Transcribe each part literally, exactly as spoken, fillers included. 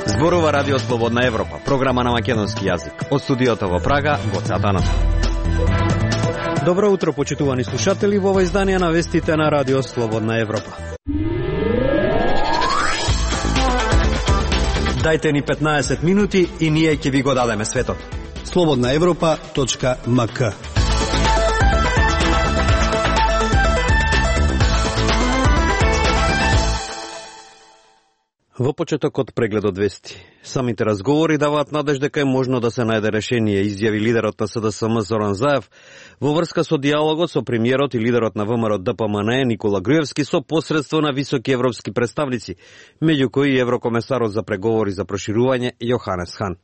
Зборува Радио Слободна Европа, програма на македонски јазик. Од студиото во Прага, Гоце Атанасов. Добро утро, почитувани слушатели, во ова издание на вестите на Радио Слободна Европа. Дајте ни петнаесет минути и ние ќе ви го дадеме светот. слободна европа точка ем ка. Во почетокот прегледот вести. Самите разговори даваат надеж дека е можно да се најде решение, изјави лидерот на С Д С М Зоран Заев во врска со диалогот со премиерот и лидерот на ВМРО Д П М Н Е Никола Груевски со посредство на високи европски представници, меѓу кои и еврокомесарот за преговори за проширување Јоханес Хан.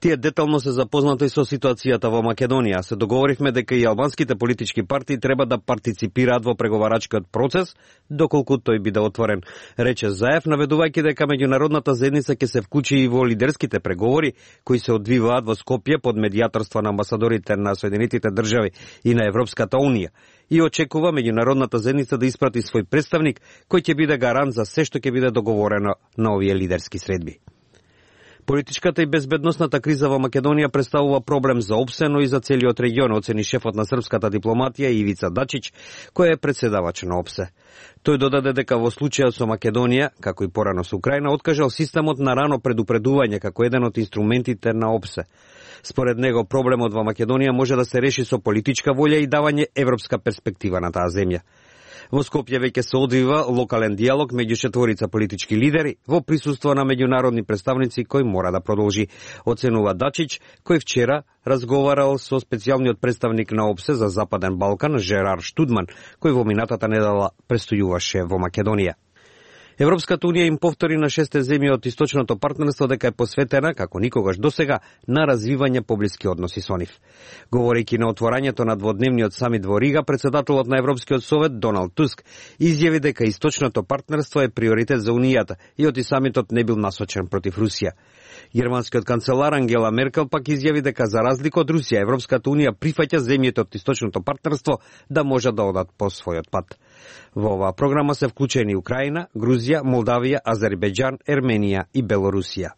Тие детално се запознати со ситуацијата во Македонија. Се договоривме дека и албанските политички партии треба да партиципираат во преговарачкиот процес, доколку тој биде отворен, рече Заев, наведувајќи дека меѓународната заедница ќе се вклучи и во лидерските преговори кои се одвиваат во Скопје под медијаторство на амбасадорите на Соединетите држави и на Европската унија и очекува меѓународната заедница да испрати свој представник кој ќе биде гарант за се што ќе биде договорено на овие лидерски средби. Политичката и безбедносната криза во Македонија представува проблем за ОПСЕ, но и за целиот регион, оцени шефот на српската дипломатија Ивица Дачич, кој е председавач на ОПСЕ. Тој додаде дека во случајот со Македонија, како и порано со Украина, откажал системот на рано предупредување како еден од инструментите на ОПСЕ. Според него, проблемот во Македонија може да се реши со политичка волја и давање европска перспектива на таа земја. Во Скопје веќе се одвива локален диалог меѓу четворица политички лидери во присуство на меѓународни представници кој мора да продолжи, оценува Дачич, кој вчера разговарал со специјалниот представник на ОПСЕ за Западен Балкан Жерар Штудман, кој во минатата недела престојуваше во Македонија. Европската унија им повтори на шесте земји од источното партнерство дека е посветена, како никогаш досега, на развивање поблиски односи со нив. Говорејќи на отворањето на дводневниот самит во Рига, председателот на Европскиот совет Доналд Туск изјави дека источното партнерство е приоритет за Унијата и оти самитот не бил насочен против Русија. Германскиот канцелар Ангела Меркел пак изјави дека за разлика од Русија, Европската унија прифаќа земјите од источното партнерство да можат да одат по својот пат. Во оваа програма се вклучени Украина, Грузија, Молдавија, Азербејџан, Ерменија и Белорусија.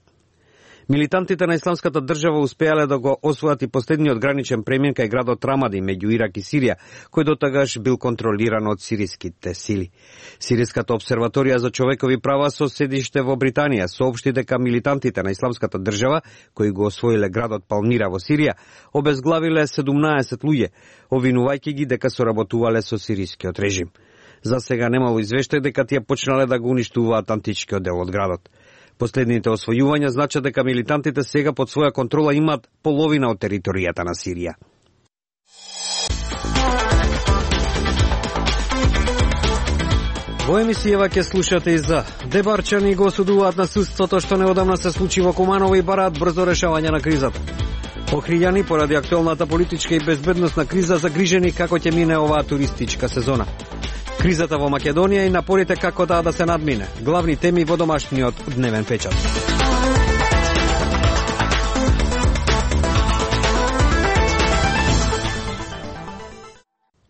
Милитантите на Исламската држава успеале да го освојат и последниот граничен премин кај градот Рамади меѓу Ирак и Сирија, кој дотагаш бил контролиран од сириските сили. Сириската обсерваторија за човекови права со седиште во Британија соопшти дека милитантите на Исламската држава, кои го освоиле градот Палмира во Сирија, обезглавиле седумнаесет луѓе, обвинувајќи ги дека соработувале со сирискиот режим. За сега немало извештај дека тие почнале да го уништуваат античкиот дел од градот. Последните освојувања значат дека милитантите сега под своја контрола имаат половина од територијата на Сирија. Во емисијава ќе слушате и за дебарчани го осудуваат на судството што неодамна се случи во Куманово и бараат брзо решавање на кризата. Охријани поради актуелната политичка и безбедносна криза загрижени како ќе мине оваа туристичка сезона. Кризата во Македонија и напорите како таа да се надмине. Главни теми во домашниот дневен печат.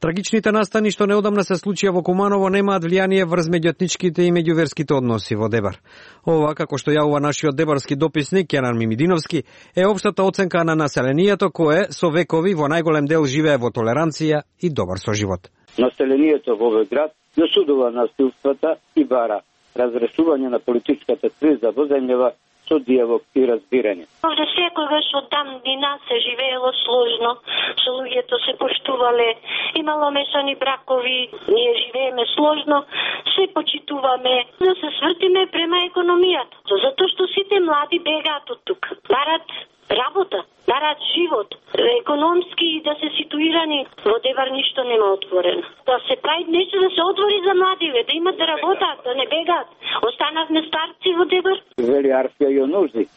Трагичните настани што неодамна се случија во Куманово немаат влијание врз меѓуетничките и меѓуверските односи во Дебар. Ова, како што јавува нашиот дебарски дописник Кенан Мимидиновски, е општата оценка на населението кое со векови во најголем дел живее во толеранција и добар соживот. Населението во овој град ја осудува насилствата и бара разрешување на политичката криза во земјава со диалог и разбирање. Може секогаш од дан дина се живеело сложно, со луѓето се поштувале, имало мешани бракови, ние живееме сложно, се почитуваме, да се свртиме према економијата, затоа што сите млади бегаат од тук, барат работа, барат живот, економски и да се ситуирани. Во Дебар ништо нема отворено. Да се прави нешто да се отвори за младиве, да имат да работат, да не бегаат. Останавме старци во Дебар. Вели Арфија Јонужди.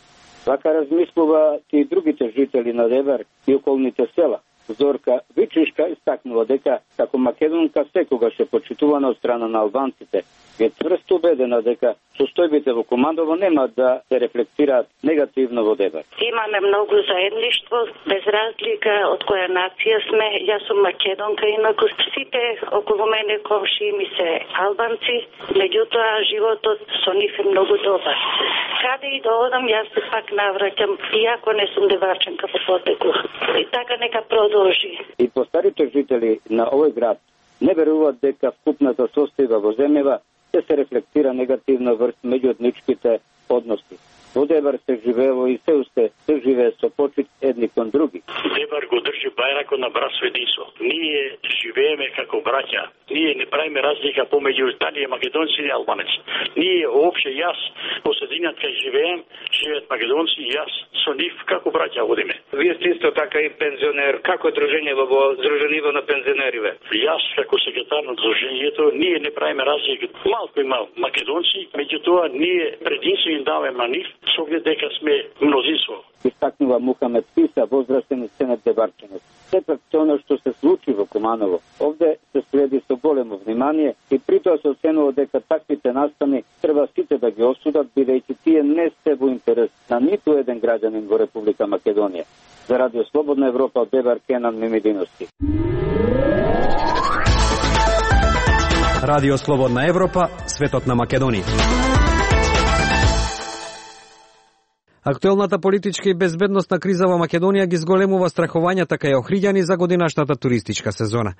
Вака размислуваат и другите жители на Дебар и околните села. Зорка Вичишка истакнува дека како македонка секогаш е почитувана од страна на албанците. Е тврсто убедена дека состојбите во Куманово нема да се рефлектираат негативно во Дебар. Имаме многу заедништво, без разлика од која нација сме. Јас сум македонка, инаку сите околу мене комши ми се албанци, меѓутоа животот со нив е многу добар. Каде и да одам, јас се пак навраќам, иако не сум деварченка по потекло. И така нека продолжи. И постарите жители на овој град не веруваат дека вкупната состојба во земјава ќе се рефлектира негативно врз меѓуетничките односи. Во Дебар се живеело и се уште се живее со почит едни кон други. Дебар го држи бајракот на братство единство. Ние живееме како браќа. Ние не правиме разлика помеѓу дали е македонци или албанеци. Ние опште јас по средината кај живеем, живеат македонци и јас со нив како браќа одиме. Вие сте исто така и пензионер. Како е дружењево во Здружениво на пензионериве? Јас како секретар на дружењето, ние не правиме разлика. Малку има македонци, меѓутоа ние прединство им даваме на нив, со оглед дека сме мнозинство. Истакнува Мухамед Писа, возрастен сенат Дебарчанец. Сепак се оно што се случи во Куманово, овде се следи со големо внимание и притоа се оценува дека таквите настани треба сите да ги осудат, бидејќи тие не се во интерес на ниту еден граѓанин во Република Македонија. За Радио Слободна Европа од Дебар, Кенан Мимидиновски. Радио Слободна Европа, светот на Македонија. Актуелната политичка и безбедносна криза во Македонија ги зголемува страхувањата кај охриѓани за годинашната туристичка сезона.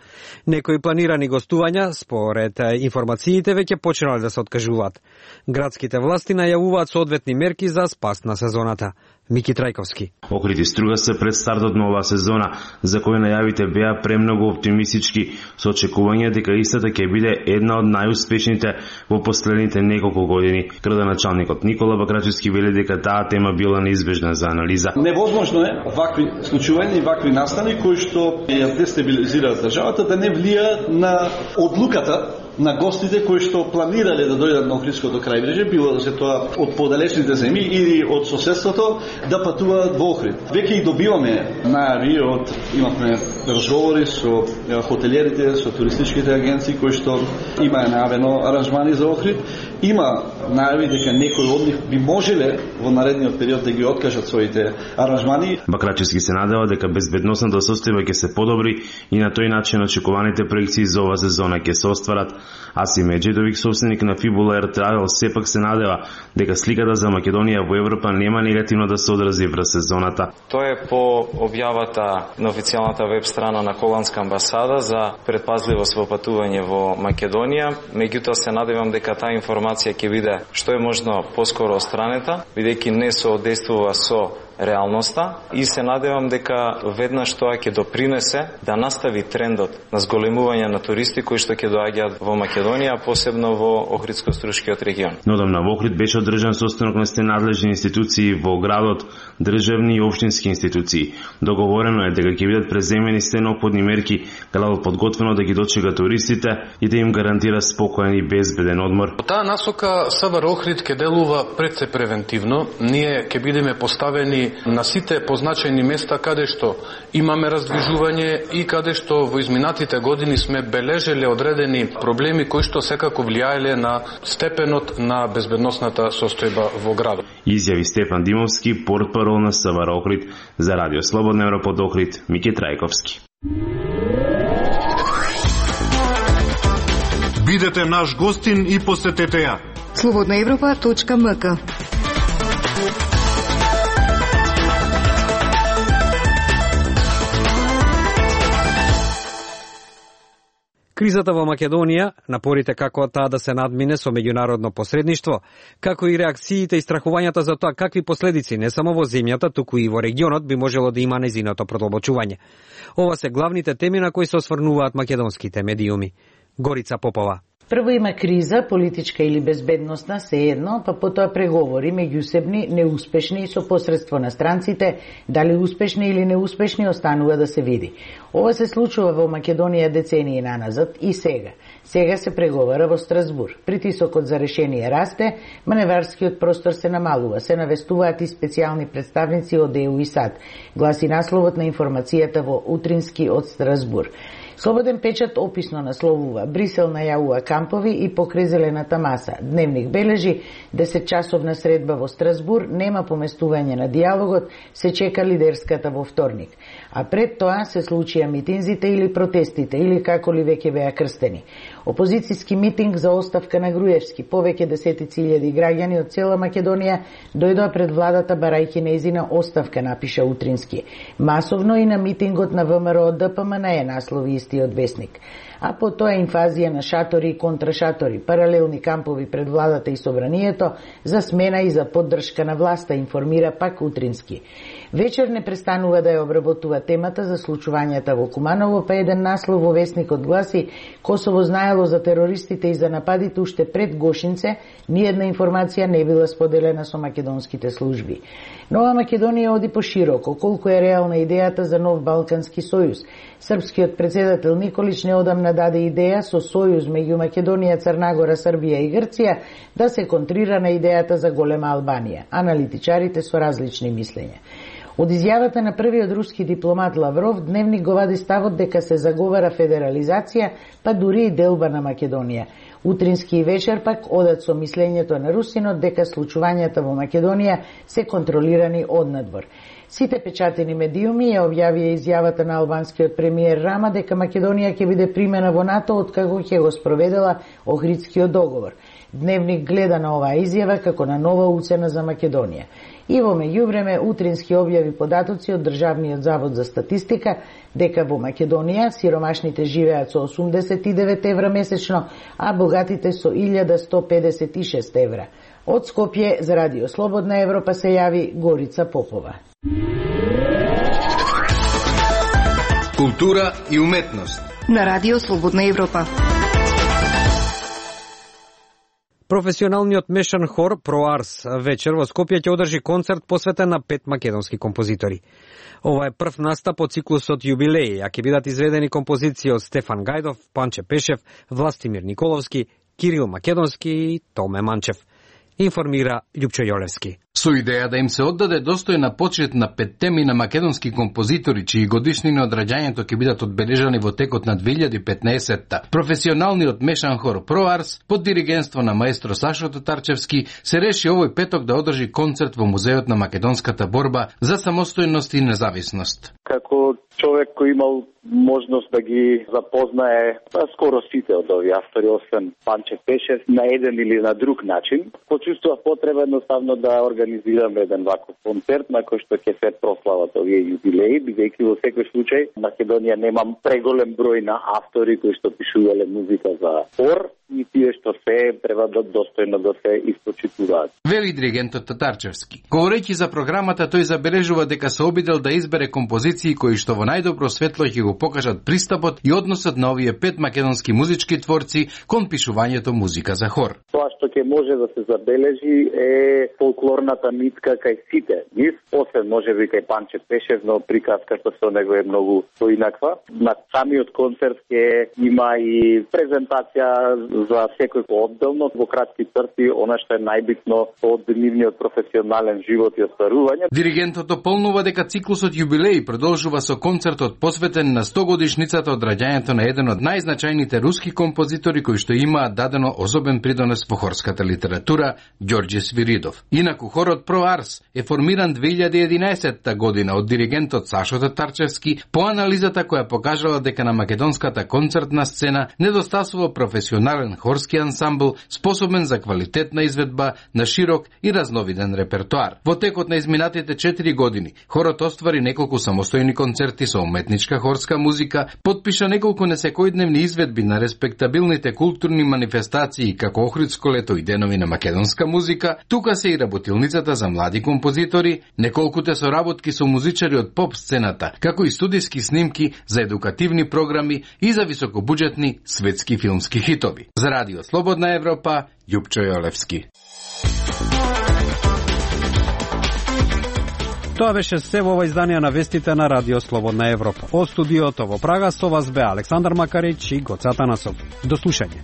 Некои планирани гостувања, според информациите, веќе почнале да се откажуваат. Градските власти најавуваат соодветни мерки за спас на сезоната. Мики Трајковски. Охрид струга се пред стартот на оваа сезона, за кој најавите беа премногу оптимистички, со очекување дека истата ќе биде една од најуспешните во последните неколку години. Градоначалникот Никола Бакрачевски вели дека таа тема била неизбежна за анализа. Невозможно е вакви случувања и вакви настани кои што ја дестабилизираат државата да не влијаат на одлуката на гостите кои што планирале да дојдат на Охридското крајбрежје, било да се тоа од подалечните земји или од соседството, да патуваат во Охрид. Веќе и добиваме најави од, имавме разговори со хотелиерите, со туристичките агенции кои што има најавено аранжмани за Охрид. Има најави дека некои од нив би можеле во наредниот период да ги откажат своите аранжмани. Бакрачевски се надева дека безбедносната состојба ќе се подобри и на тој начин очекуваните проекции за оваа сезона ќе се остварат. Асим Меджедовик, собственик на Фибула Air Travel, сепак се надева дека сликата за Македонија во Европа нема негативно да се одрази врз сезоната. Тоа е по објавата на официјалната веб страна на Холандска амбасада за предпазливост во патување во Македонија. Меѓутоа се надевам дека таа информација ќе биде што е можно поскоро отстранета, бидејќи не соодействува со реалноста, и се надевам дека веднаш тоа ќе допринесе да настави трендот на зголемување на туристи кои што ќе доаѓаат во Македонија, посебно во Охридско-Струшкиот регион. Нодамна во Охрид беше одржан состанок на сте надлежни институции во градот, државни и општински институции. Договорено е дека ќе бидат преземени сте неопходни мерки, градот подготвено да ги дочека туристите и да им гарантира спокоен и безбеден одмор. По таа насока СВР Охрид ќе делува пред се превентивно. Ние ќе бидеме поставени на сите позначени места каде што имаме раздвижување и каде што во изминатите години сме бележеле одредени проблеми кои што секако влијаеле на степенот на безбедносната состојба во градот. Изјави Стефан Димовски, портпарол на СВР Охрид. За Радио Слободна Европа од Охрид, Мики Трајковски. Бидете наш гостин и посетете ја. слободна европа точка ем ка. Кризата во Македонија, напорите како таа да се надмине со меѓународно посредништво, како и реакциите и страхувањата за тоа какви последици не само во земјата, туку и во регионот би можело да има нејзиното продлабочување. Ова се главните теми на кои се осврнуваат македонските медиуми. Горица Попова. Прво има криза, политичка или безбедносна, се едно, па потоа преговори меѓусебни, неуспешни и со посредство на странците, дали успешни или неуспешни останува да се види. Ова се случува во Македонија децении наназад и сега. Сега се преговара во Страсбур. Притисокот за решение расте, маневарскиот простор се намалува, се навестуваат и специјални представници од Е У и САД, гласи насловот на информацијата во Утрински од Страсбур. Слободен печат описно насловува: Брисел најавува кампови и покрај зелената маса. Дневник бележи десетчасовна средба во Страсбур, нема поместување на диалогот, се чека лидерската во вторник. А пред тоа се случија митинзите или протестите, или како ли веќе беа крстени. Опозицијски митинг за оставка на Груевски. Повеќе десетици илјади граѓани од цела Македонија дојдоа пред владата барајќи нејзина оставка, напиша Утрински. Масовно и на митингот на ВМРО Д П М Н Е, наслови истиот весник. А по тоа инфазија на шатори и контрашатори, паралелни кампови пред владата и собранието, за смена и за поддршка на власта, информира пак Утрински. Вечер не престанува да ја обработува темата за случувањата во Куманово, па еден наслов во весникот гласи: Косово знаело за терористите и за нападите уште пред Гошинце, ниедна информација не била споделена со македонските служби. Нова Македонија оди пошироко, колку е реална идејата за нов Балкански сојуз. Српскиот председател Николич неодамна даде идеја со сојуз меѓу Македонија, Црнагора, Србија и Грција да се контрира на идејата за голема Албанија. Аналитичарите со различни мислења. Од изјавата на првиот руски дипломат Лавров, Дневник го вади ставот дека се заговара федерализација, па дури и делба на Македонија. Утрински и вечер пак одат со мислењето на русинот дека случувањата во Македонија се контролирани однадвор. Сите печатени медиуми ја објавија изјавата на албанскиот премиер Рама дека Македонија ќе биде примена во НАТО откако ќе го спроведела Охридскиот договор. Дневник гледа на оваа изјава како на нова уцена за Македонија. И во меѓувреме Утрински објави податоци од Државниот завод за статистика дека во Македонија сиромашните живеат со осумдесет и девет евра месечно, а богатите со илјада сто педесет и шест евра. Од Скопје за Радио Слободна Европа се јави Горица Попова. Култура и уметност на Радио Слободна Европа. Професионалниот мешан хор ProArs вечер во Скопје ќе одржи концерт посветен на пет македонски композитори. Ова е прв настап од циклусот Јубилеи, а ќе бидат изведени композиции од Стефан Гајдов, Панче Пешев, Властимир Николовски, Кирил Македонски и Томе Манчев. Информира Љупчо Јолевски. Со идеја да им се оддаде достојна почит на петте на македонски композитори, чии годишнини од раѓањето ќе бидат одбележани во текот на две илјади и петнаесетта. Професионалниот мешан хор ProArs под диригентство на маестро Сашо Татарчевски се реши овој петок да одржи концерт во Музеот на македонската борба за самостојност и независност. Како човек кој имал можност да ги запознае скоро сите од овие автори, освен Панче Пешев, на еден или на друг начин, почувствував потреба едноставно да организираме еден ваков концерт на кој што ќе се прослават овие јубилеи, бидејќи во секој случај Македонија нема преголем број на автори кои што пишувале музика за хор и тие што се треба да достојно да се испочитуваат. Вели диригентот Татарчевски. Говорејќи за програмата, тој забележува дека се обидел да избере композиции кои што во најдобро светло ќе го покажат пристапот и односот на овие пет македонски музички творци кон пишувањето музика за хор. Тоа што ќе може да се забележи е фолклорната нитка кај сите нив, освен можеби кај Панче Пешев, но приказката со него е многу поинаква. На самиот концерт ќе има и презентација за секој поотделно, во кратки црти, она што е најбитно од нивниот професионален живот и остварување. Диригентот дополнува дека циклусот Јубилеи продолжува со концертот посветен на сто годишницата од раѓањето на еден од најзначајните руски композитори кои што имаат дадено особен придонес во хорската литература, Ѓорѓе Свиридов. Инаку хорот ProArs е формиран две илјади и единаесетта година од диригентот Сашо Татарчевски по анализата која покажала дека на македонската концертна сцена недостасува професионален хорски ансамбл способен за квалитетна изведба на широк и разновиден репертоар. Во текот на изминатите четири години хорот оствари неколку самостојни концерти со уметничка хорска музика, потпиша неколку несекојдневни изведби на респектабилните културни манифестации како Охридско лето и денови на македонска музика. Тука се и работилницата за млади композитори, неколкуте соработки со музичари од поп сцената, како и студиски снимки за едукативни програми и за високобуџетни светски филмски хитови. За Радио Слободна Европа, Љупчо Јолевски. Тоа беше се во ова издание на вестите на Радио Слободна Европа. Од студиото во Прага со вас бе Александар Макарич и Гоце Атанасов. До слушање.